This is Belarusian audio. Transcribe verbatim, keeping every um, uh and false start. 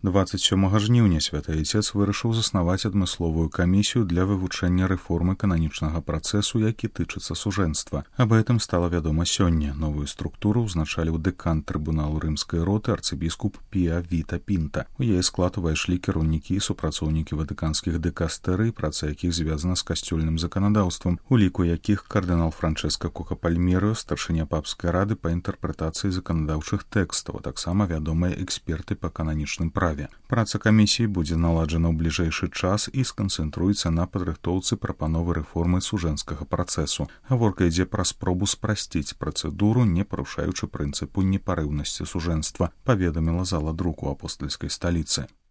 дваццаць сёмага жніўня святы айцец вырашыў заснаваць адмысловую камісію для вывучэння рэформы кананічнага працэсу, які тычыцца сужэнства. Аб гэтым стала вядома сёння. Новую структуру ўзначаліў дэкан трыбуналу рымскай роты арцыбіскуп Піа Віта Пінта. У яе склад увайшлі кіраўнікі і супрацоўнікі ватыканскіх дэкастэрый, праца якіх звязана з касцёльным заканадаўствам, у ліку якіх кардынал Франчэска Кока Пальмерыо, старшыня папскай рады па інтэрпрэтацыі заканадаўчых тэкстаў, а таксама вядомыя эксперты па кананічным праве. Праца камісіі будзе наладжана ў бліжэйшы час і сканцэнтруецца на падрыхтоўцы прапановы рэформы сужэнскага працэсу. Гаворка ідзе пра спробу спрасціць працэдуру, не парушаючы прынцыпу непарыўнасці сужэнства, паведаміла зала друку апостальскай сталіцы.